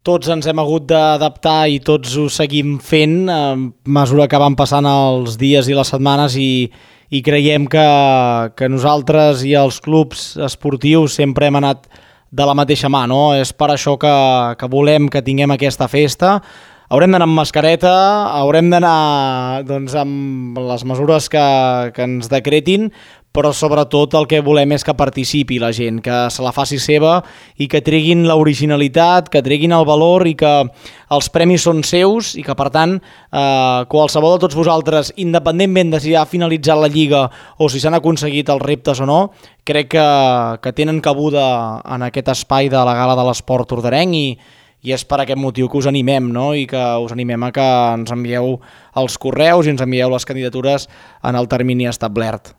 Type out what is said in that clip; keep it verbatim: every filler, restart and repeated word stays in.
tots ens hem hagut d'adaptar i tots ho seguim fent a mesura que van passant els dies i les setmanes i, i creiem que, que nosaltres i els clubs esportius sempre hem anat de la mateixa mà, no? És per això que, que volem que tinguem aquesta festa. Haurem d'anar amb mascareta, haurem d'anar doncs, amb les mesures que, que ens decretin, però sobretot el que volem és que participi la gent, que se la faci seva i que treguin l'originalitat, que treguin el valor i que els premis són seus i que, per tant, eh, qualsevol de tots vosaltres, independentment de si ha finalitzat la Lliga o si s'han aconseguit els reptes o no, crec que, que tenen cabuda en aquest espai de la Gala de l'Esport Tordarenc i i és per aquest motiu que us animem, no? I que us animem a que ens envieu els correus i ens envieu les candidatures en el termini establert.